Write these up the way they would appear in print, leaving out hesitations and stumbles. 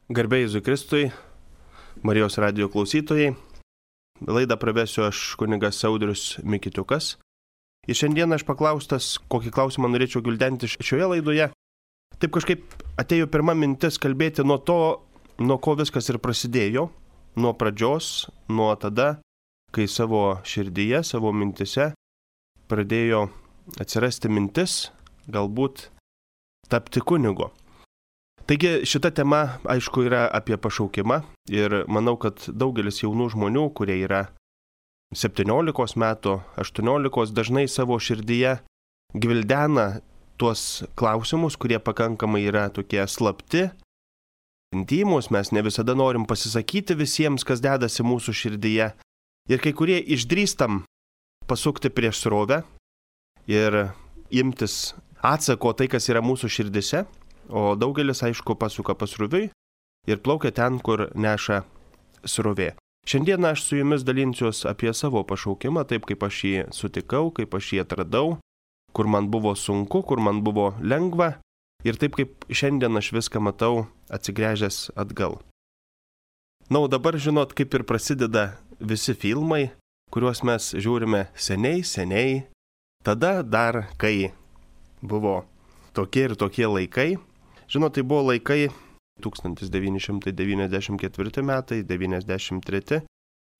Garbė Jėzui Kristui, Marijos radijo klausytojai. Laidą pravesiu aš kunigas Audrius Mikitiukas. Ir šiandien aš paklaustas, kokį klausimą norėčiau gvildenti šioje laidoje. Taip kažkaip atėjo pirma mintis kalbėti nuo to, nuo ko viskas ir prasidėjo. Nuo pradžios, nuo tada, kai savo širdyje, savo mintise pradėjo atsirasti mintis galbūt tapti kunigu. Taigi šita tema, aišku, yra apie pašaukimą ir manau, kad daugelis jaunų žmonių, kurie yra 17 metų, 18, dažnai savo širdyje gvildena tuos klausimus, kurie pakankamai yra tokie slapti, intymus, mes ne visada norim pasisakyti visiems, kas dedasi mūsų širdyje. Ir kai kurie išdrįstam pasukti prieš srovę ir imtis atsako tai, kas yra mūsų širdise. O daugelis, aišku, pasuka pasroviui ir plaukia ten, kur neša srovė. Šiandien aš su jumis dalinsiuos apie savo pašaukimą, taip kaip aš jį sutikau, kaip aš jį atradau, kur man buvo sunku, kur man buvo lengva ir taip kaip šiandien aš viską matau atsigręžęs atgal. Na, o dabar žinot, kaip ir prasideda visi filmai, kuriuos mes žiūrime seniai, tada dar, kai buvo tokie ir tokie laikai. Žinot, tai buvo laikai 1994 metai, 1993.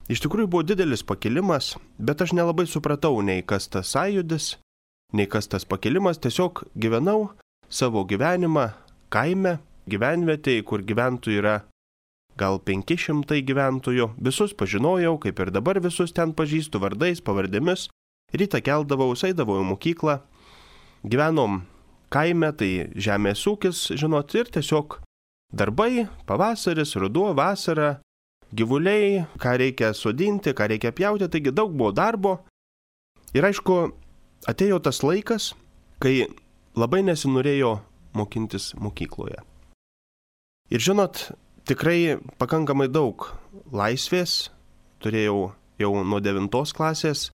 Iš tikrųjų buvo didelis pakilimas, bet aš nelabai supratau nei kas tas sąjūdis, nei kas tas pakilimas. Tiesiog gyvenau savo gyvenimą kaime, gyvenvietėje, kur gyventojų yra gal 500 gyventojų. Visus pažinojau, kaip ir dabar visus ten pažįstu vardais, pavardėmis. Rytą keldavau, eidavau į mokyklą. Gyvenom kaime, tai žemės ūkis, žinot, ir tiesiog darbai, pavasaris, ruduo, vasara, gyvuliai, ką reikia sodinti, ką reikia pjauti, taigi daug buvo darbo. Ir aišku, atėjo tas laikas, kai labai nesinorėjo mokintis mokykloje. Ir žinot, tikrai pakankamai daug laisvės turėjau jau nuo 9 klasės,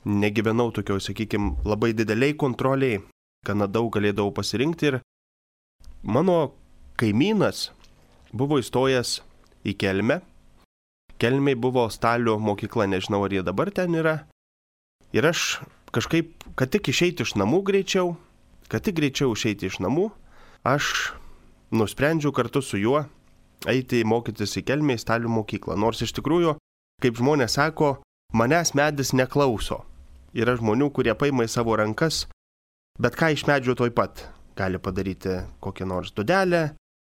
negyvenau tokioj, sakykime, labai dideliai kontroliai. Gana daug galėdavau pasirinkti ir mano kaimynas buvo įstojęs į Kelmę. Kelmėj buvo Stalio mokykla, nežinau ar jie dabar ten yra. Ir aš kažkaip, kad tik išeiti iš namų greičiau, išeiti iš namų, aš nusprendžiau kartu su juo eiti mokytis į Kelmę į Stalio mokyklą. Nors iš tikrųjų, kaip žmonės sako, manęs medis neklauso. Yra žmonių, kurie paima į savo rankas bet ką iš medžio toj pat. Gali padaryti kokią nors dudelę,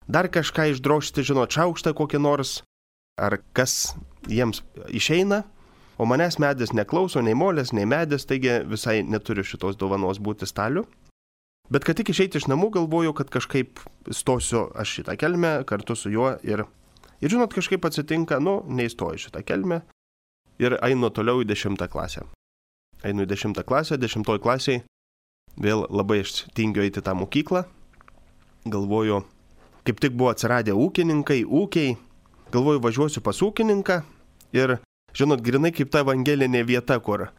dar kažką išdrožti, žinot, šaukštą kokį nors, ar kas jiems išeina, o manęs medis neklauso, nei molės, nei medis, taigi visai neturiu šitos dovanos būti Staliu. Bet kad tik išeiti iš namų, galvoju, kad kažkaip stosiu aš šitą Kelmę kartu su juo ir žinot, kažkaip atsitinka, neįstoju šitą Kelmę ir einu toliau į 10 klasę. Einu į 10 klasę, 10 klasėje. Vėl labai aš tingiu eiti tą mokyklą. Galvoju, kaip tik buvo atsiradę ūkiai. Galvoju, važiuosiu pas ūkininką ir, žinot, grinai kaip ta evangelinė vieta, kur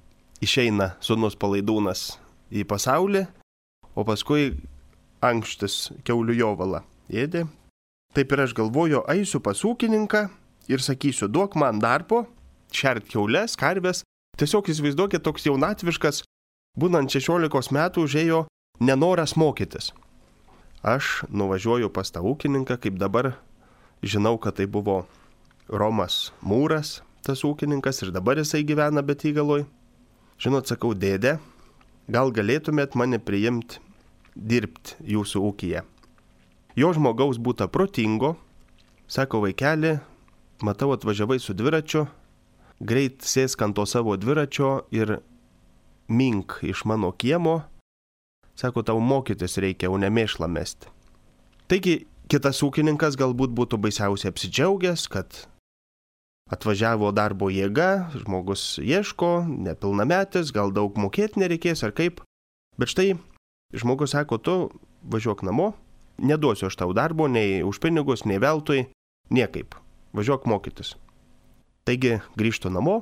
išeina sūnus palaidūnas į pasaulį, o paskui ankštis kiaulių jovalą ėdė. Taip ir aš galvoju, eisiu pas ūkininką ir sakysiu, duok man darbo, šert kiaules, karves. Tiesiog įsivaizduokit, toks jaunatviškas, būnant 16 metų, užėjo nenoras mokytis. Aš nuvažiuoju pas tą ūkininką, kaip dabar žinau, kad tai buvo Romas Mūras, tas ūkininkas, ir dabar jisai gyvena Betygaloj. Žinot, sakau, dėdė, gal galėtumėt mane priimti dirbti jūsų ūkyje. Jo žmogaus būta protingo, sako, vaikeli, matau, atvažiavai su dviračiu, greit sėsk ant to savo dviračio ir mink iš mano kiemo, sako, tau mokytis reikia, o ne mėšlą mesti. Taigi, kitas ūkininkas galbūt būtų baisiausiai apsidžiaugęs, kad atvažiavo darbo jėga, žmogus ieško, nepilnametis, gal daug mokėti nereikės ar kaip. Bet štai, žmogus sako, tu važiuok namo, neduosiu aš tau darbo, nei už pinigus, nei veltui, niekaip, važiuok mokytis. Taigi, grįžtu namo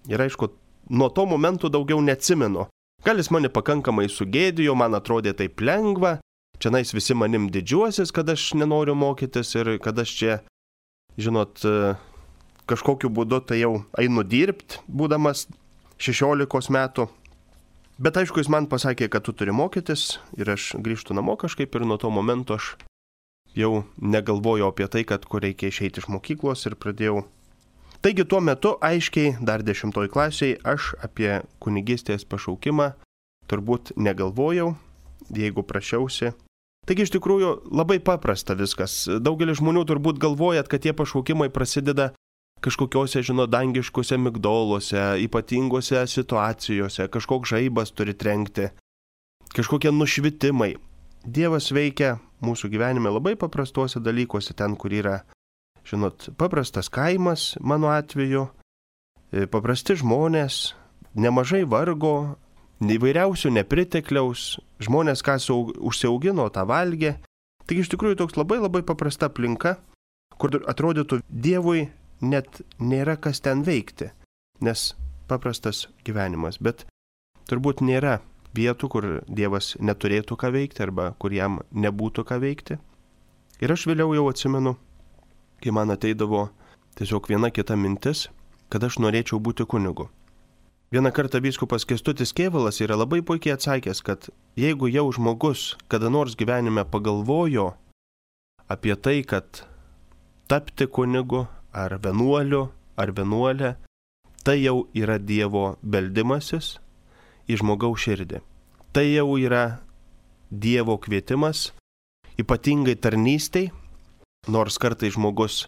ir aišku, nuo to momento daugiau neatsimenu. Gal jis mane pakankamai sugėdijo, man atrodė taip lengva, Čianais visi manim didžiuosis, kad aš nenoriu mokytis ir kad aš čia, žinot, kažkokiu būdu tai jau einu dirbti, būdamas 16 metų. Bet aišku, jis man pasakė, kad tu turi mokytis ir aš grįžtu namo kažkaip ir nuo to momento aš jau negalvojau apie tai, kad kur reikia išeiti iš mokyklos ir pradėjau. Taigi tuo metu aiškiai, dar 10 klasėje, aš apie kunigystės pašaukimą turbūt negalvojau, jeigu prašiausi. Taigi iš tikrųjų labai paprasta viskas. Daugelis žmonių turbūt galvojat, kad tie pašaukimai prasideda kažkokiuose, dangiškuose migdoluose, ypatingose situacijose, kažkoks žaibas turi trenkti, kažkokie nušvitimai. Dievas veikia mūsų gyvenime labai paprastuose dalykuose, ten, kur yra, paprastas kaimas, mano atveju, paprasti žmonės, nemažai vargo, įvairiausių nepritekliaus, žmonės, kas užsiaugino, tą valgė. Taigi iš tikrųjų toks labai paprasta aplinka, kur atrodytų Dievui net nėra kas ten veikti, nes paprastas gyvenimas, bet turbūt nėra vietų, kur Dievas neturėtų ką veikti arba kur jam nebūtų ką veikti. Ir aš vėliau jau atsimenu, kai man ateidavo tiesiog viena kita mintis, kad aš norėčiau būti kunigu. Vieną kartą vyskupas Kęstutis Kėvalas yra labai puikiai atsakęs, kad jeigu jau žmogus kada nors gyvenime pagalvojo apie tai, kad tapti kunigu ar vienuoliu ar vienuolė, tai jau yra Dievo beldimasis į žmogaus širdį. Tai jau yra Dievo kvietimas, ypatingai tarnystei, nors kartais žmogus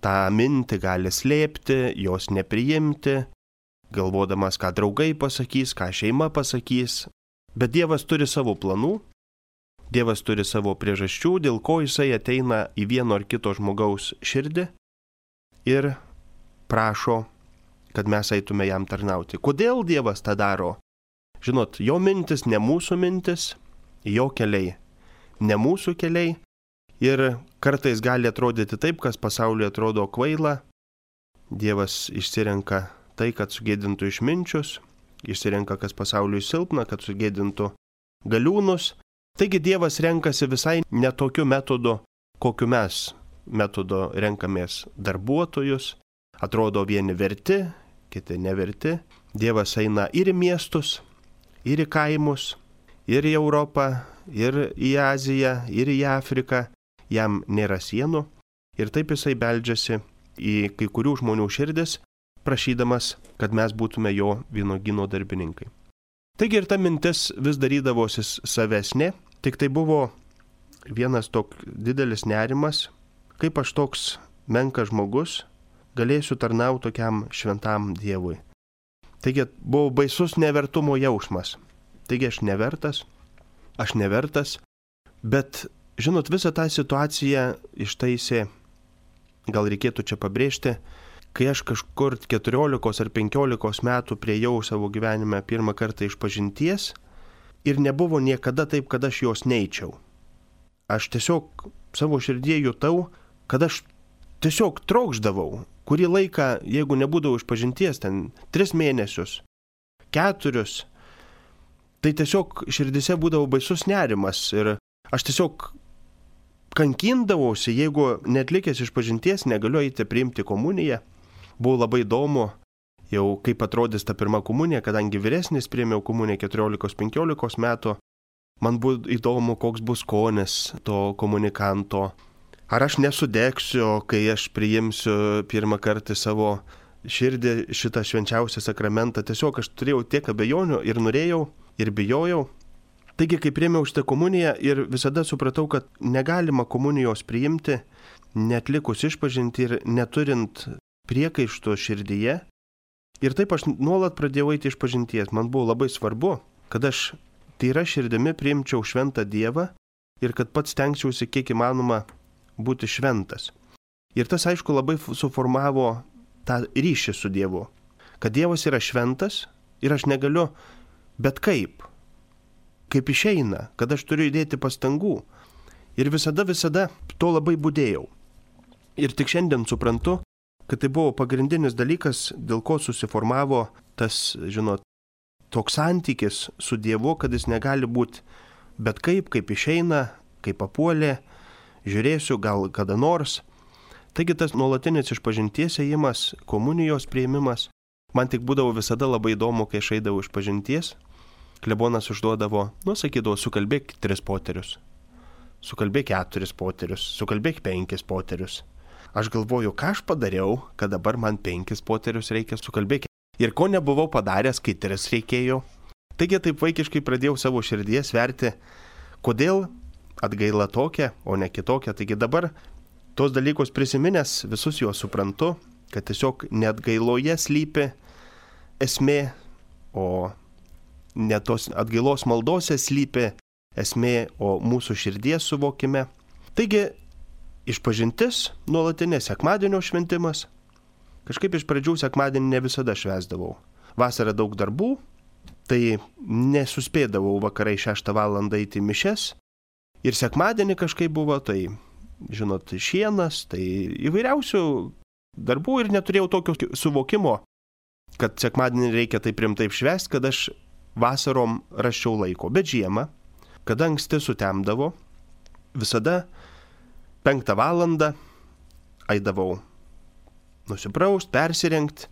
tą mintį gali slėpti, jos nepriimti, galvodamas, ką draugai pasakys, ką šeima pasakys. Bet Dievas turi savo planų, Dievas turi savo priežasčių, dėl ko jisai ateina į vieno ar kito žmogaus širdį ir prašo, kad mes eitume jam tarnauti. Kodėl Dievas tą daro? Žinot, jo mintis ne mūsų mintis, jo keliai ne mūsų keliai ir kartais gali atrodyti taip, kas pasaulyje atrodo kvaila. Dievas išsirenka tai, kad sugėdintų išminčius, išsirenka, kas pasauliui silpna, kad sugėdintų galiūnus. Taigi Dievas renkasi visai netokiu metodu, kokiu mes metodo renkamės darbuotojus. Atrodo vieni verti, kiti neverti. Dievas eina ir į miestus, ir į kaimus, ir į Europą, ir į Aziją, ir į Afriką. Jam nėra sienų. Ir taip jisai beldžiasi į kai kurių žmonių širdis, prašydamas, kad mes būtume jo vynuogyno darbininkai. Taigi ir ta mintis vis darydavosi savesnė, tik tai buvo vienas toks didelis nerimas, kaip aš toks menkas žmogus galėsiu tarnauti tokiam šventam Dievui. Taigi buvo baisus nevertumo jausmas. Taigi aš nevertas, bet, žinot, visą tą situaciją ištaisė, gal reikėtų čia pabrėžti, kai aš kažkur 14 ar 15 metų priėjau savo gyvenime pirmą kartą išpažinties ir nebuvo niekada taip, kad aš jos neičiau. Aš tiesiog savo širdie jutau, kad aš tiesiog trokšdavau. Kurį laiką, jeigu nebūdavau išpažinties, ten 3 mėnesius, 4, tai tiesiog širdise būdavo baisus nerimas ir aš tiesiog kankindavausi, jeigu netlikęs išpažinties negaliu eiti priimti komuniją. Buvo labai įdomu, jau kaip atrodys ta pirma komunija, kadangi vyresnis priėmiau komuniją 14-15 metų, man buvo įdomu, koks bus skonis to komunikanto. Ar aš nesudegsiu, kai aš priimsiu pirmą kartą savo širdį šitą švenčiausią sakramentą. Tiesiog aš turėjau tiek abejonių ir norėjau, ir bijojau. Taigi, kai priėmiau šitą komuniją ir visada supratau, kad negalima komunijos priimti, netlikus išpažinti ir neturint priekaišto širdyje. Ir taip aš nuolat pradėjau eiti išpažinties. Man buvo labai svarbu, kad aš tyra širdimi priimčiau šventą Dievą ir kad pats stengčiausi kiek įmanoma būti šventas. Ir tas, aišku, labai suformavo tą ryšį su Dievu. Kad Dievas yra šventas ir aš negaliu bet kaip išeina, kad aš turiu įdėti pastangų. Ir visada to labai budėjau. Ir tik šiandien suprantu, kad tai buvo pagrindinis dalykas, dėl ko susiformavo tas, žinot, toks santykis su Dievu, kad jis negali būti bet kaip išeina kaip papuolė, žiūrėsiu gal kada nors. Taigi tas nuolatinis išpažinties ėjimas, komunijos priėmimas, man tik būdavo visada labai įdomu, kai aš eidavau išpažinties. Klebonas užduodavo, sakydavo, sukalbėk 3 poterius, sukalbėk 4 poterius, sukalbėk 5 poterius. Aš galvoju, ką aš padariau, kad dabar man 5 poterius reikia sukalbėti. Ir ko nebuvau padaręs, kai 3 reikėjo. Taigi taip vaikiškai pradėjau savo širdies sverti, kodėl atgaila tokia, o ne kitokia. Taigi dabar tos dalykus prisiminęs, visus juos suprantu, kad tiesiog neatgailoje slypi esmė, o ne tos atgailos maldose slypi esmė, o mūsų širdies suvokime. Taigi, išpažintis, nuolatinė sekmadienio šventimas. Kažkaip iš pradžių sekmadienį ne visada švęsdavau. Vasarą daug darbų, tai nesuspėdavau vakarai 6 valandą eiti į mišes. Ir sekmadienį kažkaip buvo, tai, žinot, šienas, tai įvairiausių darbų ir neturėjau tokio suvokimo, kad sekmadienį reikia taip rimtai švęsti, kad aš vasarom rasčiau laiko. Bet žiemą, kada anksti sutemdavo, visada 5 valandą eidavau nusipraust, persirengti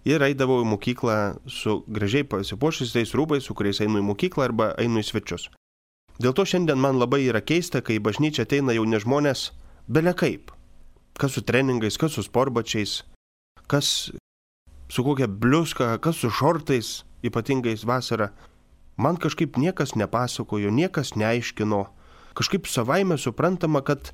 ir eidavau į mokyklą su gražiai pasipuošusiais rūbais, su kuriais einu į mokyklą arba einu į svečius. Dėl to šiandien man labai yra keista, kai į bažnyčią ateina jauni žmonės bele kaip. Kas su treningais, kas su sportbačiais, kas su kokia bliuska, kas su šortais, ypatingais vasarą. Man kažkaip niekas nepasakojo, niekas neaiškino. Kažkaip savaime suprantama, kad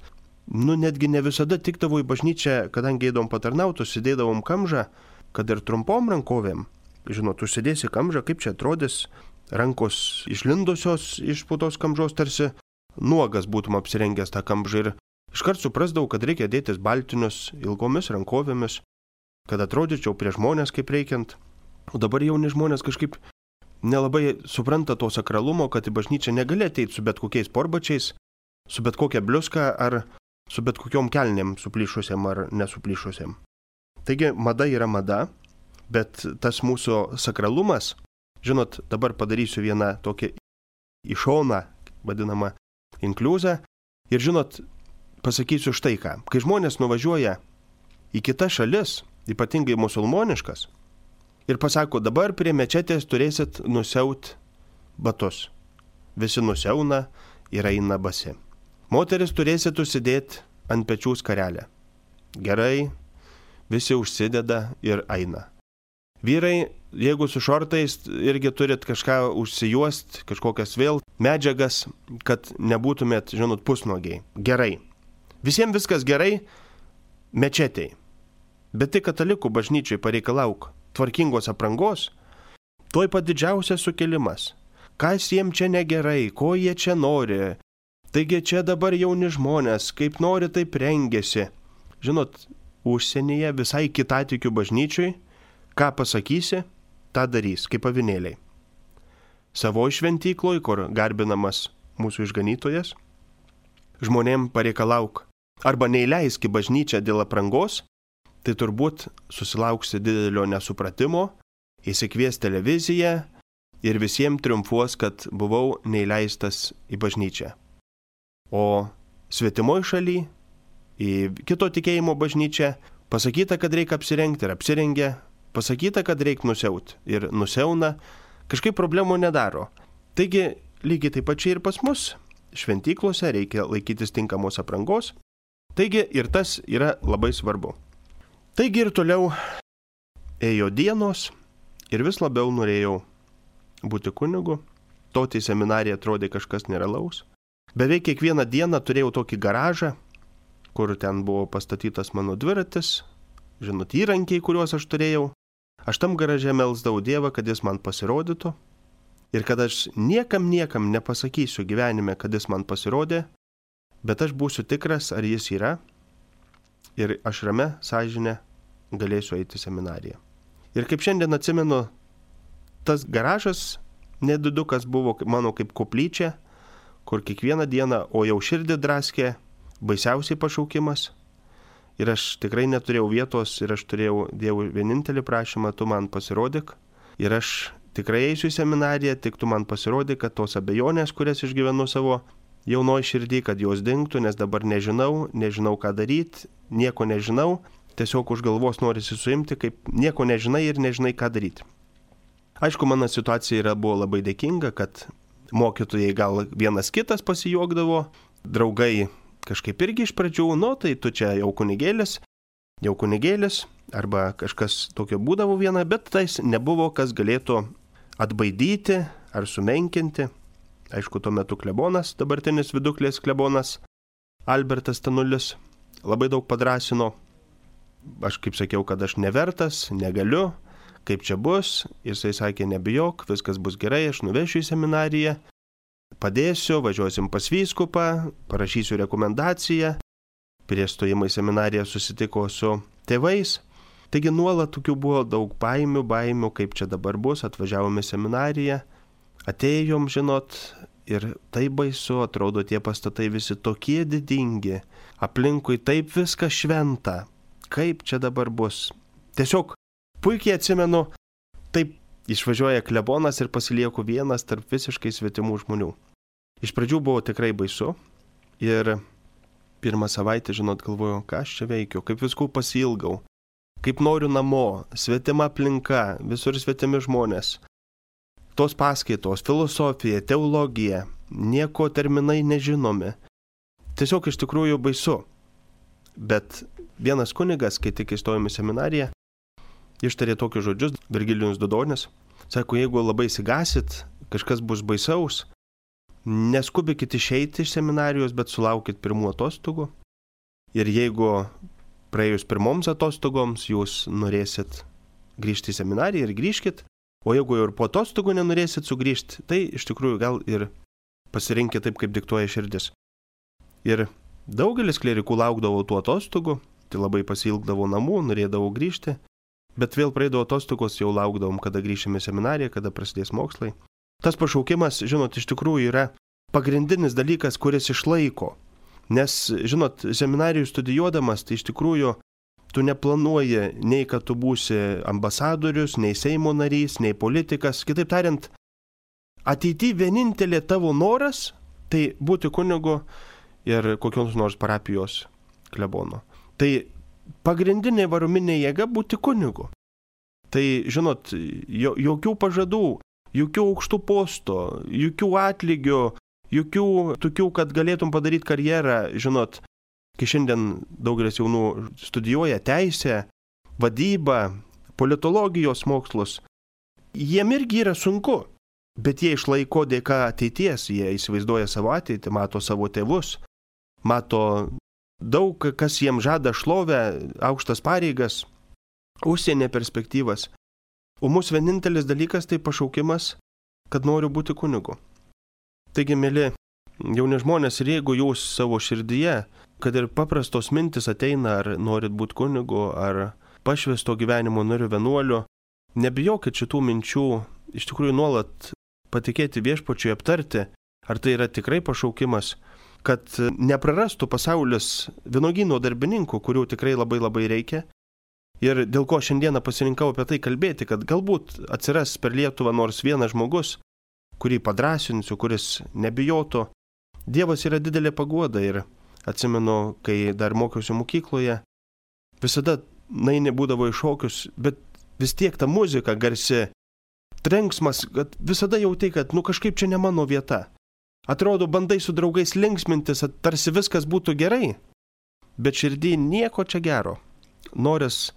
netgi ne visada tikdavo į bažnyčią, kadangi eidom patarnauti, užsidėdavom kamžą, kad ir trumpom rankovėm. Žinot, užsidėsi kamžą, kaip čia atrodys, rankos išlindusios iš po tos kamžos, tarsi nuogas būtum apsirengęs tą kamžą. Ir iškart suprasdavau, kad reikia dėtis baltinius ilgomis rankovėmis, kad atrodyčiau prie žmonės kaip reikiant. O dabar jauni žmonės kažkaip nelabai supranta to sakralumo, kad į bažnyčią negali ateiti su bet kokiais sportbačiais, su bet kokia bliuska ar su bet kokiom kelnėm suplyšusiam ar nesuplyšusiam. Taigi mada yra mada, bet tas mūsų sakralumas, žinot, dabar padarysiu vieną tokią į šoną, vadinamą inkliuzą, ir žinot, pasakysiu štai ką. Kai žmonės nuvažiuoja į kitas šalis, ypatingai musulmoniškas, ir pasako, dabar prie mečetės turėsit nusiaut batus. Visi nusiauna ir eina basi. Moteris turėsit užsidėti ant pečių skarelę. Gerai, visi užsideda ir eina. Vyrai, jeigu su šortais, irgi turit kažką užsijuost, kažkokias vėl medžiagas, kad nebūtumėt, žinot, pusnuogiai. Gerai. Visiems viskas gerai, mečetei. Bet tik katalikų bažnyčiai pareikalauk tvarkingos aprangos, tuoj pat didžiausias sukilimas. Kas jiems čia negerai, ko jie čia nori? Taigi čia dabar jauni žmonės, kaip nori, taip rengiasi. Žinot, užsienyje visai kitatikių bažnyčiui, ką pasakysi, tą darys, kaip avinėliai. Savo šventykloj, kur garbinamas mūsų išganytojas, žmonėm pareikalauk arba neįleisk į bažnyčią dėl aprangos, tai turbūt susilauksi didelio nesupratimo, įsikvies televiziją ir visiems triumfuos, kad buvau neįleistas į bažnyčią. O svetimoj šaly, į kito tikėjimo bažnyčią, pasakyta, kad reikia apsirengti ir apsirengia, pasakyta, kad reikia nusiaut ir nusiauna, kažkaip problemų nedaro. Taigi, lygiai taip pat čia ir pas mus, šventyklose reikia laikytis tinkamos aprangos, taigi ir tas yra labai svarbu. Taigi ir toliau ėjo dienos ir vis labiau norėjau būti kunigu, stoti į seminariją atrodė kažkas nerealaus. Beveik kiekvieną dieną turėjau tokį garažą, kur ten buvo pastatytas mano dviratis, žinot, įrankiai, kuriuos aš turėjau. Aš tam garaže melsdavau Dievą, kad jis man pasirodytų ir kad aš niekam nepasakysiu gyvenime, kad jis man pasirodė, bet aš būsiu tikras, ar jis yra ir aš ramia sąžine galėsiu eiti į seminariją. Ir kaip šiandien atsimenu, tas garažas nedidukas buvo mano kaip koplyčia, kur kiekvieną dieną, o jau širdį draskė, baisiausiai pašaukimas. Ir aš tikrai neturėjau vietos ir aš turėjau Dievui vienintelį prašymą, tu man pasirodyk. Ir aš tikrai eisiu į seminariją, tik tu man pasirodyk, kad tos abejonės, kurias išgyvenu savo jaunoji širdį, kad jos dingtų, nes dabar nežinau ką daryti, nieko nežinau, tiesiog už galvos norisi suimti, kaip nieko nežinai ir nežinai ką daryti. Aišku, mano situacija buvo labai dėkinga, kad mokytojai gal vienas kitas pasijuokdavo, draugai kažkaip irgi iš pradžių, tai tu čia jau kunigėlis, arba kažkas tokio būdavo viena, bet tais nebuvo, kas galėtų atbaidyti ar sumenkinti. Aišku, tuo metu klebonas, dabartinis Viduklės klebonas, Albertas Tanulis, labai daug padrąsino. Aš kaip sakiau, kad aš nevertas, negaliu, kaip čia bus. Jisai sakė, nebijok, viskas bus gerai, aš nuvešiu į seminariją, padėsiu, važiuosim pas vyskupą, parašysiu rekomendaciją. Prieš stojimą į seminariją susitiko su tėvais. Taigi nuolat tokių buvo daug baimių, kaip čia dabar bus, atvažiavome į seminariją, atėjom, ir tai baisu, atrodo tie pastatai visi tokie didingi, aplinkui taip viskas šventa, kaip čia dabar bus. Tiesiog puikiai atsimenu, taip išvažiuoja klebonas ir pasilieku vienas tarp visiškai svetimų žmonių. Iš pradžių buvo tikrai baisu ir pirmą savaitę, galvojau, ką aš čia veikiu, kaip viskų pasiilgau, kaip noriu namo, svetima aplinka, visur svetimi žmonės. Tos paskaitos, filosofija, teologija, nieko terminai nežinomi. Tiesiog iš tikrųjų baisu. Bet vienas kunigas, kai tik įstojom į seminariją, ištarė tokius žodžius, Virgilijus Dudonis, sako, jeigu labai įsigasit, kažkas bus baisaus, neskubikit išeiti iš seminarijos, bet sulaukit pirmų atostogų. Ir jeigu praėjus pirmoms atostogoms jūs norėsit grįžti į seminariją ir grįžkit, o jeigu jau ir po atostogų nenorėsit sugrįžti, tai iš tikrųjų gal ir pasirinkit taip, kaip diktuoja širdis. Ir daugelis klerikų laukdavo tų atostogų, tai labai pasiilgdavo namų, norėdavo grįžti, bet vėl praeidavo atostogos, jau laukdavom, kada grįšime į seminariją, kada prasidės mokslai. Tas pašaukimas, iš tikrųjų yra pagrindinis dalykas, kuris išlaiko. Nes, seminarijų studijuodamas, tai iš tikrųjų tu neplanuoji nei, kad tu būsi ambasadorius, nei Seimo narys, nei politikas. Kitaip tariant, ateityje vienintelė tavo noras, tai būti kunigu ir kokios nors parapijos klebono. Tai pagrindinė varominė jėga būti kunigu. Tai, jokių pažadų, jokių aukštų postų, jokių atlygių, jokių tokių, kad galėtum padaryti karjerą, kai šiandien daugelis jaunų studijuoja teisę, vadybą, politologijos mokslus, jiem irgi yra sunku, bet jie išlaiko dėka ateities, jie įsivaizduoja savo ateitį, mato savo tėvus, mato daug, kas jiem žada šlovę, aukštas pareigas, užsienio perspektyvas. O mūsų vienintelis dalykas tai pašaukimas, kad noriu būti kunigu. Taigi, mėly jauni žmonės, ir jeigu jūs savo širdyje, kad ir paprastos mintis ateina, ar norit būti kunigu, ar pašvęsto gyvenimo nariu vienuoliu, nebijokit šitų minčių, iš tikrųjų nuolat patikėti viešpačiui, aptarti, ar tai yra tikrai pašaukimas, kad neprarastų pasaulis vynuogyno darbininkų, kurių tikrai labai labai reikia. Ir dėl ko šiandieną pasirinkau apie tai kalbėti, kad galbūt atsiras per Lietuvą nors vienas žmogus, kurį padrąsinsiu, kuris nebijotų. Dievas yra didelė paguoda ir atsimenu, kai dar mokiausi mokykloje, visada naini būdavo į šokius, bet vis tiek ta muzika garsi, trenksmas, kad visada jauti, kad kažkaip čia ne mano vieta. Atrodo, bandai su draugais linksmintis, tarsi viskas būtų gerai, bet širdį nieko čia gero. Noris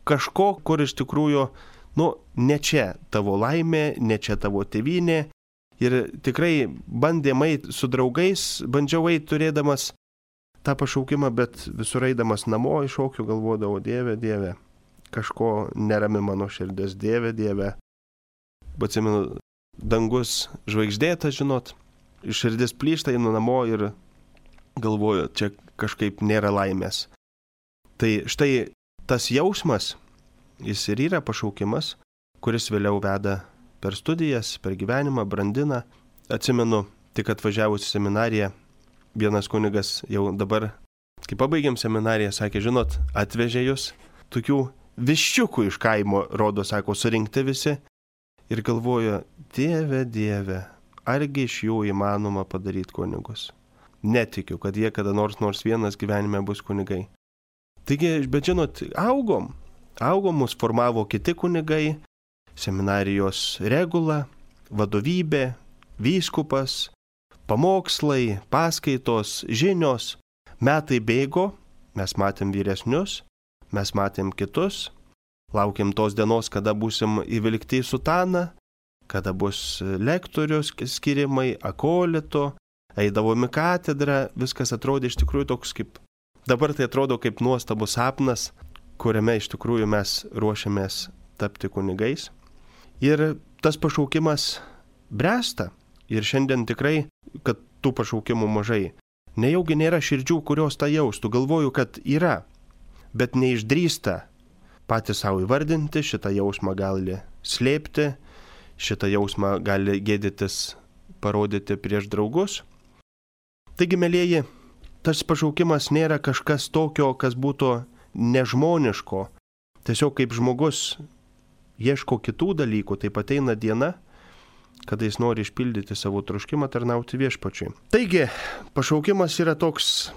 kažko, kur iš tikrųjų, ne čia tavo laimė, ne čia tavo tėvynė. Ir tikrai bandėm eiti su draugais, bandžiau eiti turėdamas tą pašaukimą, bet visur eidamas namo iš šokių galvodavau, Dieve, kažko nerami mano širdis, Dieve. Atsimenu, dangus žvaigždėtas, širdis plyšta, einu namo ir galvoju, čia kažkaip nėra laimės. Tai štai tas jausmas, jis ir yra pašaukimas, kuris vėliau veda per studijas, per gyvenimą, brandina. Atsimenu, tik atvažiavus į seminariją, vienas kunigas jau dabar, kai pabaigėm seminariją, sakė, atvežė jūs tokių viščiukų iš kaimo, rodo, sako, surinkti visi. Ir galvoju, Dieve, argi iš jų įmanoma padaryti kunigus? netikiu, kad jie kada nors vienas gyvenime bus kunigai. Taigi, bet žinot, augom, mus formavo kiti kunigai, seminarijos regula, vadovybė, vyskupas, pamokslai, paskaitos, žinios, metai bėgo, mes matėm vyresnius, mes matėm kitus, laukiam tos dienos, kada būsim įvilkti į sutaną, kada bus lektorius skirimai, akolito, eidavom į katedrą, viskas atrodė iš tikrųjų toks kaip, dabar tai atrodo kaip nuostabus sapnas, kuriame iš tikrųjų mes ruošiamės tapti kunigais. Ir tas pašaukimas bręsta. Ir šiandien tikrai, kad tų pašaukimų mažai. Nejaugi nėra širdžių, kurios tą jaustų. Galvoju, kad yra, bet neišdrįsta patys savo įvardinti, šitą jausmą gali slėpti, šitą jausmą gali gėdytis, parodyti prieš draugus. Taigi, mielieji, tas pašaukimas nėra kažkas tokio, kas būtų nežmoniško. Tiesiog kaip žmogus ieško kitų dalykų, taip ateina diena, kada jis nori išpildyti savo troškimą tarnauti viešpačiui. Taigi, pašaukimas yra toks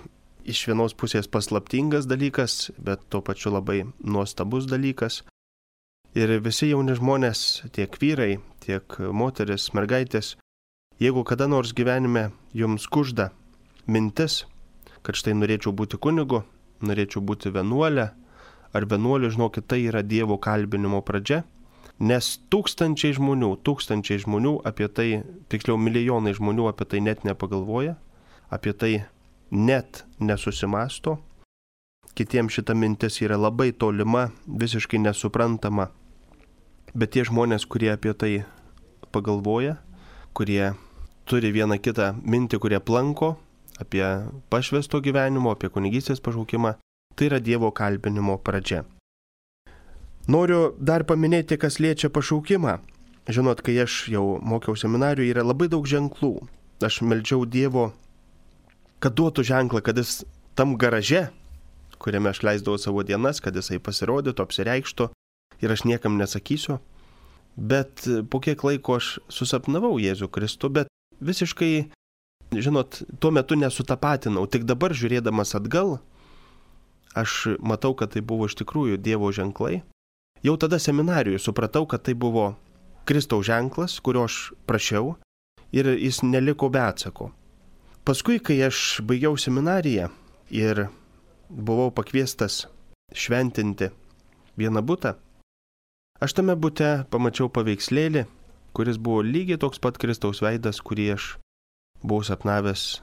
iš vienos pusės paslaptingas dalykas, bet tuo pačiu labai nuostabus dalykas. Ir visi jauni žmonės, tiek vyrai, tiek moteris, mergaitės, jeigu kada nors gyvenime jums kužda mintis, kad štai norėčiau būti kunigu, norėčiau būti vienuolė ar vienuoliu, žinokit, tai yra Dievo kalbinimo pradžia. Nes tūkstančiai žmonių apie tai, tiksliau milijonai žmonių apie tai net nepagalvoja, apie tai net nesusimasto. Kitiems šita mintis yra labai tolima, visiškai nesuprantama. Bet tie žmonės, kurie apie tai pagalvoja, kurie turi vieną kitą mintį, kurie planko apie pašvęsto gyvenimo, apie kunigystės pašaukimą, tai yra Dievo kalbinimo pradžia. Noriu dar paminėti, kas liečia pašaukimą. Žinot, kai aš jau mokiau seminarijoje, yra labai daug ženklų. Aš meldžiau Dievo, kad duotų ženklą, kad jis tam garaže, kuriame aš leisdavau savo dienas, kad jisai pasirodytų, apsireikštų ir aš niekam nesakysiu. Bet po kiek laiko aš susapnavau Jėzų Kristų, bet visiškai, žinot, tuo metu nesutapatinau. Tik dabar žiūrėdamas atgal, aš matau, kad tai buvo iš tikrųjų Dievo ženklai. Jau tada seminarijoje supratau, kad tai buvo Kristaus ženklas, kurio aš prašiau ir jis neliko be atsako. Paskui, kai aš baigiau seminariją ir buvau pakviestas šventinti vieną butą, aš tame bute pamačiau paveikslėlį, kuris buvo lygiai toks pat Kristaus veidas, kurį aš buvau sapnavęs,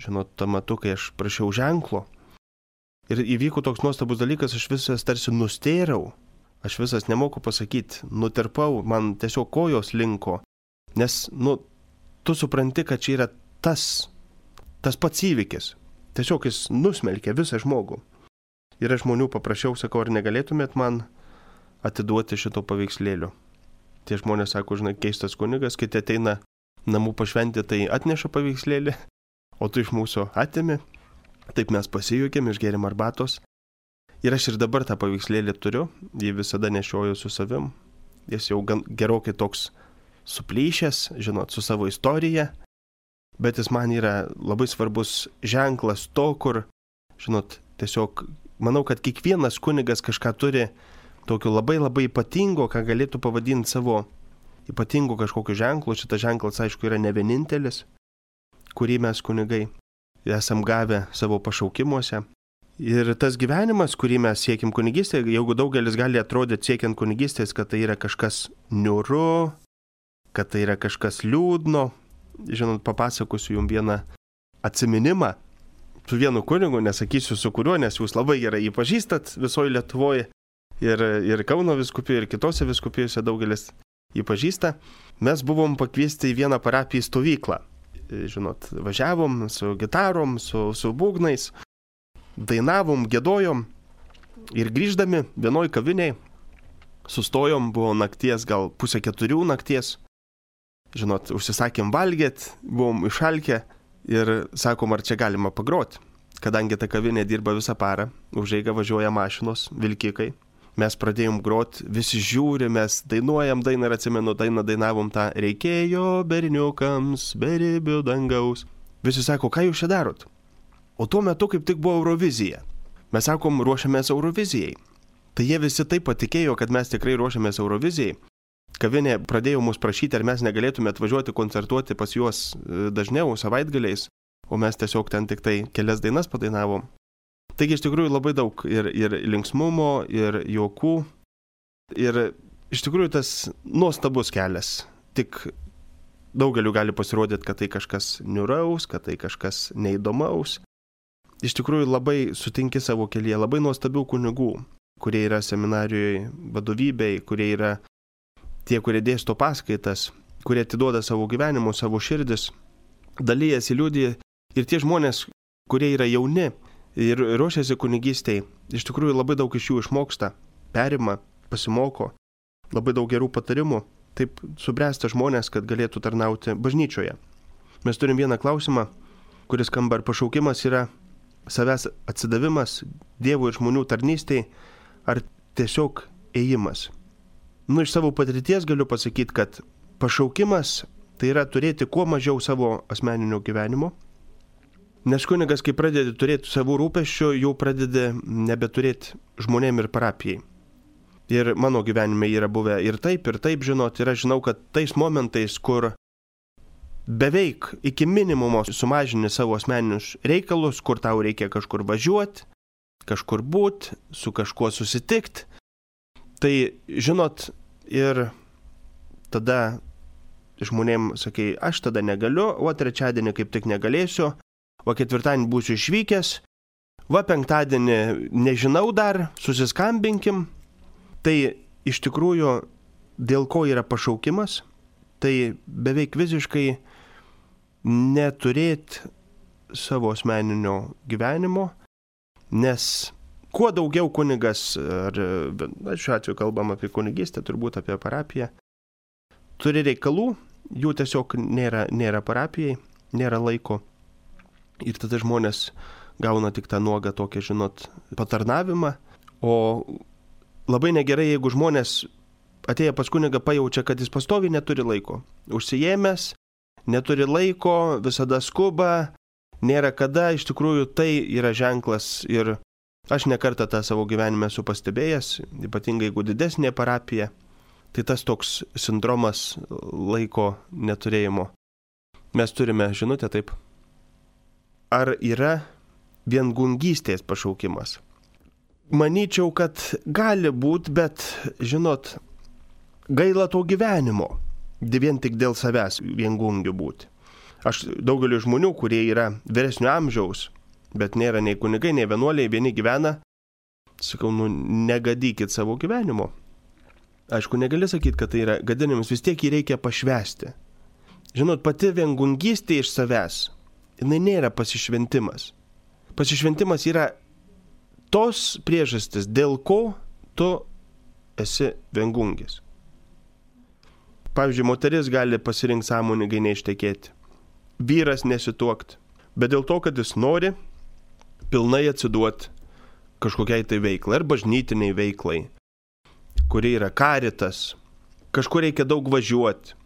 žinot, tuo metu, kai aš prašiau ženklo. Ir įvyko toks nuostabus dalykas, aš visas tarsi nustėrau. Aš visas nemoku pasakyti, nutirpau, man tiesiog kojos linko, nes, tu supranti, kad čia yra tas pats įvykis. Tiesiog jis nusmelkė visą žmogų. Ir aš žmonių paprašiau, sakau, ar negalėtumėt man atiduoti šito paveikslėlio. Tie žmonės sako, žinai, keistas kunigas, kiti ateina namų pašventi, tai atneša paveikslėlį, o tu iš mūsų atimi. Taip mes pasijuokėm, išgėrėm arbatos. Ir aš ir dabar tą paveikslėlį turiu, jį visada nešioju su savim. Jis jau gerokai toks suplyšęs, žinot, su savo istorija, bet jis man yra labai svarbus ženklas to, kur, žinot, tiesiog manau, kad kiekvienas kunigas kažką turi tokio labai labai ypatingo, ką galėtų pavadinti savo ypatingu kažkokiu ženklu. Šitas ženklas, aišku, yra ne vienintelis, kurį mes kunigai esam gavę savo pašaukimuose. Ir tas gyvenimas, kurį mes siekim kunigystėje, jeigu daugelis gali atrodyti siekiant kunigystės, kad tai yra kažkas niūru, kad tai yra kažkas liūdno. Žinot, papasakosiu jums vieną atsiminimą su vienu kunigu, nesakysiu su kuriuo, nes jūs labai gerai jį pažįstat visoje Lietuvoje ir Kauno vyskupijoje, ir kitose vyskupijose daugelis jį pažįsta. Mes buvom pakviesti į vieną parapiją stovyklą. Žinot, važiavom su gitarom, su būgnais. Dainavom, gėdojom ir grįždami vienoj kaviniai sustojom, buvo nakties, gal 3:30 nakties. Žinot, užsisakėm valgėt, buvom išalkę ir sakom, ar čia galima pagroti. Kadangi ta kavinė dirba visą parą, už eigą važiuoja mašinos, vilkikai. Mes pradėjom groti, visi žiūri, mes dainuojam dainą ir atsimenu, dainavom tą reikėjo berniukams beribių dangaus. Visi sako, ką jūs čia darot? O tuo metu kaip tik buvo Eurovizija. Mes sakom, ruošiamės Eurovizijai. Tai jie visi taip patikėjo, kad mes tikrai ruošiamės Eurovizijai. Kavinė pradėjo mus prašyti, ar mes negalėtume atvažiuoti koncertuoti pas juos dažniau, savaitgaliais, o mes tiesiog ten tik tai kelias dainas padainavom. Taigi iš tikrųjų labai daug ir linksmumo, ir juokų. Ir iš tikrųjų tas nuostabus kelias. Tik daugeliu gali pasirodyti, kad tai kažkas niūraus, kad tai kažkas neįdomaus. Iš tikrųjų labai sutinki savo kelyje labai nuostabių kunigų, kurie yra seminarijoje vadovybei, kurie yra tie, kurie dėsto paskaitas, kurie atiduoda savo gyvenimus, savo širdis, dalyjasi, liudija. Ir tie žmonės, kurie yra jauni ir ruošiasi kunigystei, iš tikrųjų labai daug iš jų išmoksta, perima, pasimoko, labai daug gerų patarimų. Taip subręsta žmonės, kad galėtų tarnauti bažnyčioje. Mes turim vieną klausimą, kuris skamba, ar pašaukimas yra savęs atsidavimas Dievo ir žmonių tarnystei, ar tiesiog ėjimas. Iš savo patirties galiu pasakyti, kad pašaukimas tai yra turėti kuo mažiau savo asmeninio gyvenimo, nes kunigas, kai pradedi turėti savų rūpesčių, jau pradedi nebeturėti žmonėm ir parapijai. Ir mano gyvenime yra buvę ir taip, žinot, ir aš žinau, kad tais momentais, kur beveik iki minimumo sumažini savo asmeninius reikalus, kur tau reikia kažkur važiuoti, kažkur būti, su kažkuo susitikti, tai, žinot, ir tada žmonėm sakai, aš tada negaliu, o trečiadienį kaip tik negalėsiu, o ketvirtadienį būsiu išvykęs, va penktadienį nežinau dar, susiskambinkim. Tai iš tikrųjų, dėl ko yra pašaukimas, tai beveik visiškai neturėti savo asmeninio gyvenimo, nes kuo daugiau kunigas, ar šiuo atveju kalbam apie kunigystę, turbūt apie parapiją, turi reikalų, jų tiesiog nėra parapijai, nėra laiko. Ir tada žmonės gauna tik tą nuogą tokią, žinot, patarnavimą, o labai negerai, jeigu žmonės atėję pas kunigą pajaučia, kad jis pastoviai neturi laiko. Užsiėmęs, neturi laiko, visada skuba, nėra kada, iš tikrųjų tai yra ženklas ir aš nekartą tą savo gyvenime esu pastebėjęs, ypatingai jeigu didesnė parapija, tai tas toks sindromas laiko neturėjimo. Mes turime žinutę taip. Ar yra viengungystės pašaukimas? Manyčiau, kad gali būti, bet, žinot, gaila to gyvenimo, vien tik dėl savęs viengungių būti. Aš daugeliu žmonių, kurie yra vyresnio amžiaus, bet nėra nei kunigai, nei vienuoliai, vieni gyvena, sakau, negadykit savo gyvenimo. Aišku, negali sakyti, kad tai yra gadinimas, vis tiek jį reikia pašvęsti. Žinot, pati viengungystė iš savęs, jinai nėra pasišventimas. Pasišventimas yra tos priežastis, dėl ko tu esi viengungis. Pavyzdžiui, moteris gali pasirinkti sąmoningai neištekėti. Vyras nesituokti. Bet dėl to, kad jis nori pilnai atsiduoti kažkokiai tai veiklai, ar bažnytiniai veiklai, kuri yra karitas, kažkur reikia daug važiuoti.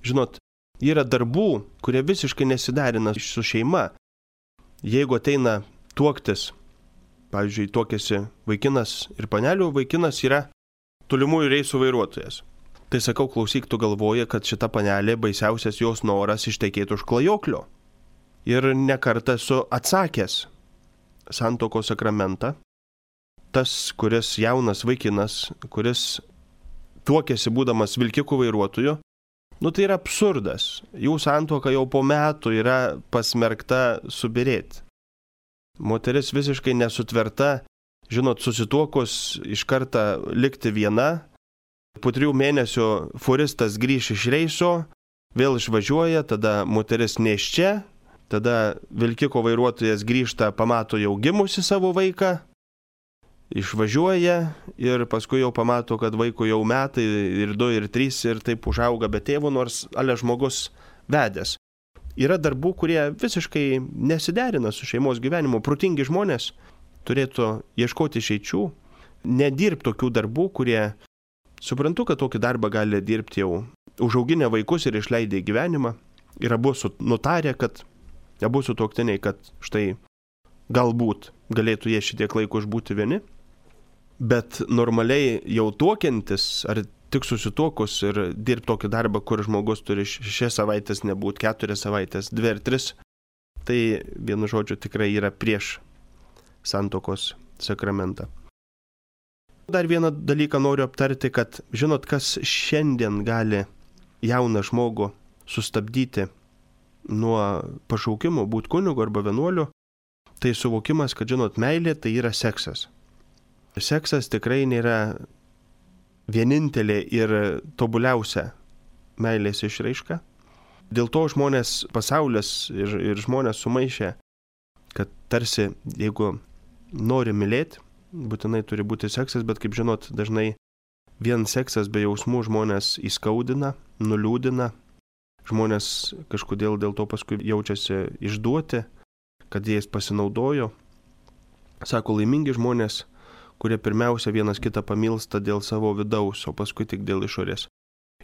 Žinot, yra darbų, kurie visiškai nesiderina su šeima. Jeigu ateina tuoktis, pavyzdžiui, tuokėsi vaikinas ir panelių, vaikinas yra tolimųjų reisų vairuotojas. Tai sakau, klausyk, tu galvoji, kad šita panelė baisiausias jos noras ištekėti už klajoklio. Ir nekartą esu atsakęs santuokos sakramentą. Tas, kuris jaunas vaikinas, kuris tuokėsi būdamas vilkikų vairuotoju, tai yra absurdas. Jų santuoka jau po metų yra pasmerkta subirėti. Moteris visiškai nesutverta, žinot, susituokus iš kartą likti viena. Po 3 mėnesių furistas grįš iš reiso, vėl išvažiuoja, tada moteris nėščia, tada vilkiko vairuotojas grįžta, pamato jau gimusi savo vaiką, išvažiuoja ir paskui jau pamato, kad vaiko jau metai ir 2 ir 3 ir taip užauga be tėvo, nors ale žmogus vedęs. Yra darbų, kurie visiškai nesiderina su šeimos gyvenimu. Protingi žmonės turėtų ieškoti išeičių, nedirbti tokių darbų, kurie, suprantu, kad tokį darbą gali dirbti jau užauginę vaikus ir išleidę į gyvenimą. Ir abu nutarė, kad abu sutuoktiniai, kad štai galbūt galėtų jie šitiek laiko išbūti vieni, bet normaliai jau tuokiantis ar tik susituokus ir dirbti tokį darbą, kur žmogus turi 6 savaitės nebūti, 4 savaitės, 2 ar 3, tai vienu žodžiu tikrai yra prieš santuokos sakramentą. Dar vieną dalyką noriu aptarti, kad žinot, kas šiandien gali jauną žmogų sustabdyti nuo pašaukimo būti kunigu arba vienuoliu, tai suvokimas, kad žinot, meilė tai yra seksas. Seksas tikrai nėra vienintelė ir tobuliausia meilės išraiška. Dėl to žmonės, pasaulis ir žmonės sumaišė, kad tarsi jeigu nori mylėti, būtinai turi būti seksas, bet kaip žinot, dažnai vien seksas be jausmų žmonės įskaudina, nuliūdina. Žmonės kažkodėl dėl to paskui jaučiasi išduoti, kad jais pasinaudojo. Sako, laimingi žmonės, kurie pirmiausia vienas kitą pamilsta dėl savo vidaus, o paskui tik dėl išorės.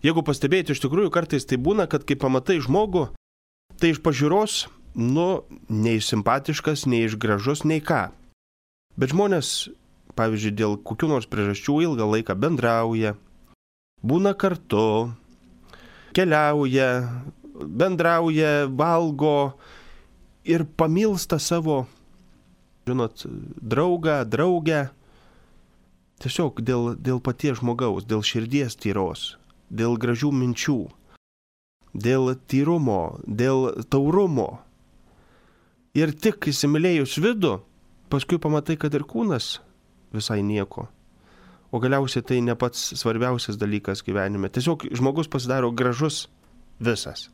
Jeigu pastebėti, iš tikrųjų kartais tai būna, kad kai pamatai žmogų, tai iš pažiūros, nei simpatiškas, nei išgražus, nei ką. Bet žmonės, pavyzdžiui, dėl kokių nors priežasčių ilgą laiką bendrauja, būna kartu, keliauja, bendrauja, valgo ir pamilsta savo, žinot, draugę, tiesiog dėl paties žmogaus, dėl širdies tyros, dėl gražių minčių, dėl tyrumo, dėl taurumo. Ir tik įsimylėjus vidų, paskui pamatai, kad ir kūnas visai nieko. O galiausiai tai ne pats svarbiausias dalykas gyvenime. Tiesiog žmogus pasidaro gražus visas.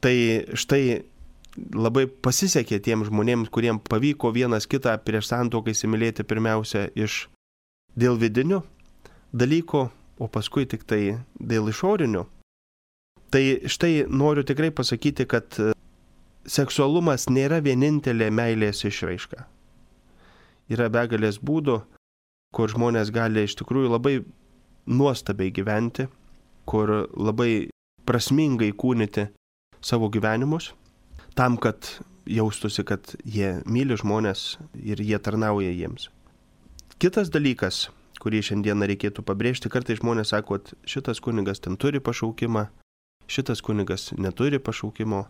Tai štai labai pasisekė tiem žmonėms, kuriems pavyko vienas kitą prieš santuoką įsimylėti pirmiausia dėl vidinių dalykų, o paskui tik tai dėl išorinių. Tai štai noriu tikrai pasakyti, kad seksualumas nėra vienintelė meilės išraiška. Yra begalės būdų, kur žmonės gali iš tikrųjų labai nuostabiai gyventi, kur labai prasmingai kūnyti savo gyvenimus, tam, kad jaustųsi, kad jie myli žmonės ir jie tarnauja jiems. Kitas dalykas, kurį šiandieną reikėtų pabrėžti, kartais žmonės sako, kad šitas kunigas ten turi pašaukimą, šitas kunigas neturi pašaukimo.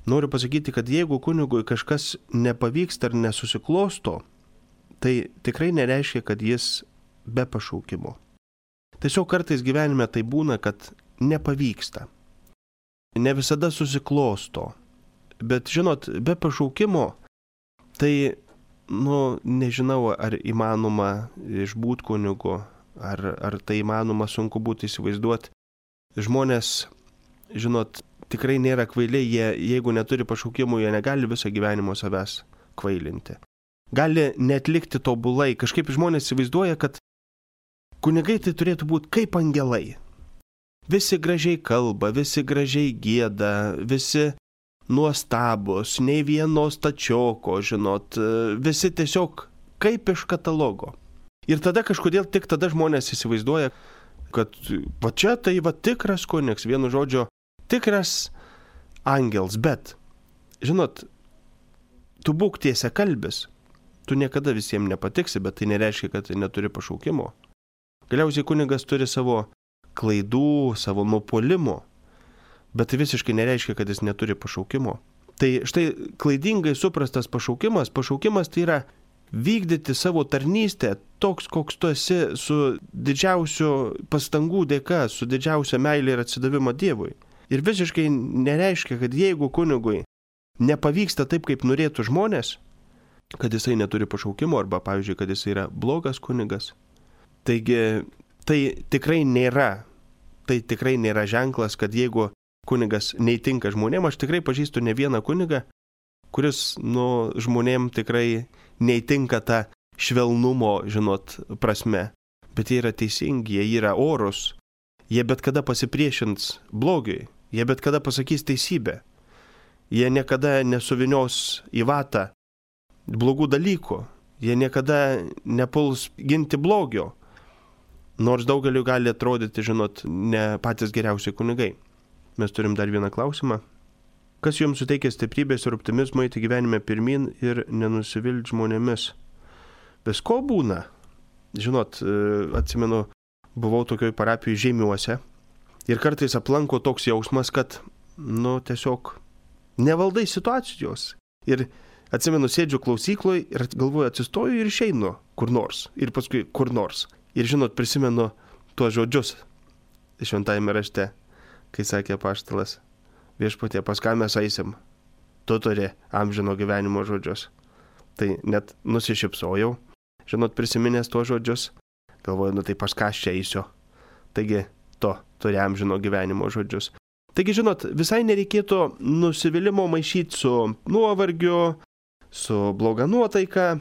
Noriu pasakyti, kad jeigu kunigui kažkas nepavyksta ar nesusiklosto, tai tikrai nereiškia, kad jis be pašaukimo. Tiesiog kartais gyvenime tai būna, kad nepavyksta. Ne visada susiklosto. Bet žinot, be pašaukimo, tai, nežinau, ar įmanoma išbūt kunigu, ar tai įmanoma, sunku būtų įsivaizduoti. Žmonės, žinot, tikrai nėra kvailiai, jeigu neturi pašaukimų, jie negali visą gyvenimo savęs kvailinti. Gali netlikti tobulai. Kažkaip žmonės įsivaizduoja, kad kunigai tai turėtų būti kaip angelai. Visi gražiai kalba, visi gražiai gieda, visi nuostabus, nei vieno stačioko, žinot, visi tiesiog kaip iš katalogo. Ir tada kažkodėl tik tada žmonės įsivaizduoja, kad va čia tai va tikras kunigs, vienu žodžiu, tikras angels, bet, žinot, tu būk tiesiakalbis. Tu niekada visiems nepatiksi, bet tai nereiškia, kad neturi pašaukimo. Galiausiai kunigas turi savo klaidų, savo nuopuolimų, bet tai visiškai nereiškia, kad jis neturi pašaukimo. Tai štai klaidingai suprastas pašaukimas tai yra vykdyti savo tarnystę toks, koks tu esi, su didžiausiu pastangų dėka, su didžiausia meilė ir atsidavimo Dievui. Ir visiškai nereiškia, kad jeigu kunigui nepavyksta taip, kaip norėtų žmonės, kad jisai neturi pašaukimo arba, pavyzdžiui, kad jisai yra blogas kunigas. Taigi, tai tikrai nėra ženklas, kad jeigu kunigas neįtinka žmonėm, aš tikrai pažįstu ne vieną kunigą, kuris, žmonėm tikrai neįtinka ta švelnumo, žinot, prasme. Bet jie yra teisingi, jie yra orus, jie bet kada pasipriešins blogiui, jie bet kada pasakys teisybę, jie niekada nesuvinios į vatą blogų dalykų, jie niekada nepuls ginti blogio, nors daugeliu gali atrodyti, žinot, ne patys geriausi kunigai. Mes turim dar vieną klausimą. kas jums suteikia stiprybės ir optimizmo eiti gyvenime pirmin ir nenusivilti žmonėmis. Visko būna. Žinot, atsimenu, buvau tokioj parapijoj Žeimiuose ir kartais aplanko toks jausmas, kad, tiesiog nevaldai situacijos. Ir atsimenu, sėdžiu klausykloje ir galvoju, atsistoju ir išeinu kur nors. Ir paskui kur nors. Ir žinot, prisimenu tuos žodžius šventajame rašte, kai sakė apaštalas: Viešpatie, pas ką mes eisim? Tu turi amžino gyvenimo žodžius. Tai net nusišypsojau, žinot, prisiminęs tuos žodžius. Galvoju, tai pas ką aš čia eisiu? Taigi, tu turi amžino gyvenimo žodžius. Taigi, žinot, visai nereikėtų nusivylimų maišyti su nuovargiu, su bloga nuotaika.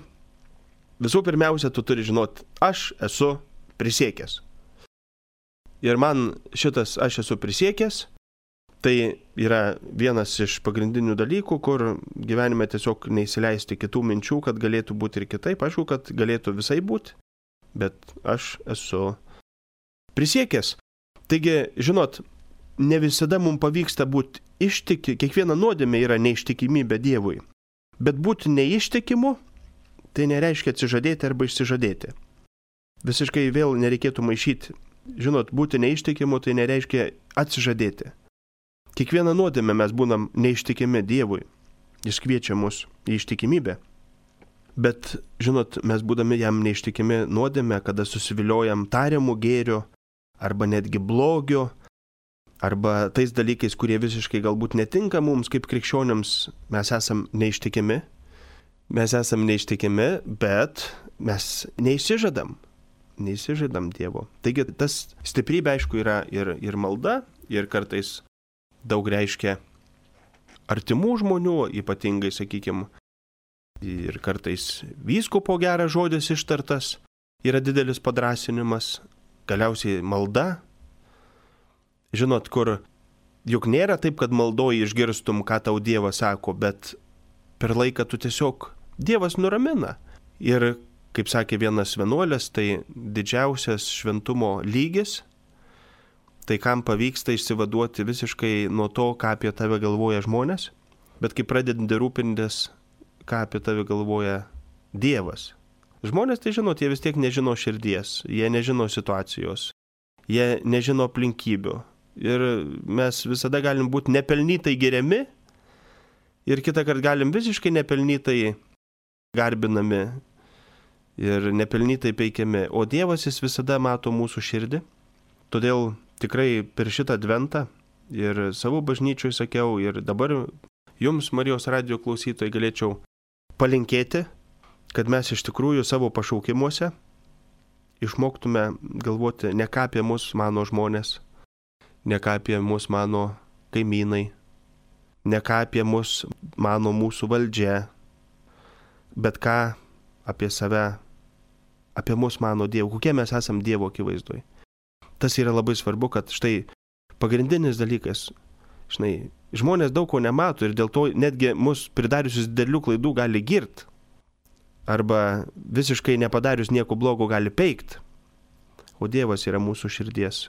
Visų pirmiausia, tu turi žinot, aš esu prisiekęs. Ir man šitas aš esu prisiekęs, tai yra vienas iš pagrindinių dalykų, kur gyvenime tiesiog neįsileisti kitų minčių, kad galėtų būti ir kitaip. Aišku, kad galėtų visai būti, bet aš esu prisiekęs. Taigi, žinot, ne visada mums pavyksta būti kiekviena nuodėmė yra neištikimybė Dievui. Bet būti neištikimu, tai nereiškia atsižadėti arba išsižadėti. Visiškai vėl nereikėtų maišyti. Žinot, būti neištikimu, tai nereiškia atsižadėti. Kiekvieną nuodėmę mes būnam neištikimi Dievui. Jis kviečia mus į ištikimybę. Bet, žinot, mes būdami jam neištikimi nuodėmę, kada susiviliojam tariamų gėrių, arba netgi blogio, arba tais dalykais, kurie visiškai galbūt netinka mums kaip krikščioniams, mes esam neištikimi. Mes esam neištikimi, bet mes neįsižadam Dievo. Taigi tas stiprybė, aišku, yra ir malda, ir kartais daug reiškia artimų žmonių, ypatingai, sakykime, ir kartais vyskupo geras žodis ištartas yra didelis padrąsinimas, galiausiai malda. Žinot, kur juk nėra taip, kad maldoji išgirstum, ką tau Dievas sako, bet per laiką tu tiesiog Dievas nuramina. Ir, kaip sakė vienas vienuolis, tai didžiausias šventumo lygis, tai kam pavyksta išsivaduoti visiškai nuo to, ką apie tave galvoja žmonės, bet kai pradedi rūpintis, ką apie tave galvoja Dievas. Žmonės, tai žinot, jie vis tiek nežino širdies, jie nežino situacijos, jie nežino aplinkybių. Ir mes visada galim būti nepelnytai geriami ir kitą kartą galim visiškai nepelnytai garbinami ir nepelnytai peikiami. O Dievas jis visada mato mūsų širdį. Todėl tikrai per šitą adventą ir savo bažnyčioj sakiau ir dabar jums, Marijos radijo klausytojai, galėčiau palinkėti, kad mes iš tikrųjų savo pašaukimuose išmoktume galvoti ne ką apie mus mano žmonės, ne ką apie mus mano kaimynai, ne ką apie mus mano mūsų valdžia, bet ką apie save, apie mus mano Dievo, kokie mes esam Dievo akivaizdoj. Tas yra labai svarbu, kad štai pagrindinis dalykas, žmonės daug ko nemato ir dėl to netgi mus pridariusius didelių klaidų gali girt, arba visiškai nepadarius nieko blogo gali peikt. O Dievas yra mūsų širdies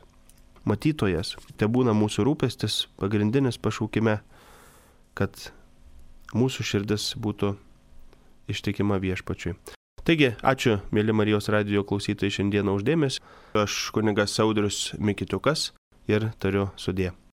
matytojas. Tai būna mūsų rūpestis pagrindinis pašaukime, kad mūsų širdis būtų ištikima Viešpačiui. Taigi, ačiū, mėly Marijos radijo klausytojai, šiandieną už dėmesį. Aš kunigas Audrius Mikitiukas ir tariu sudie.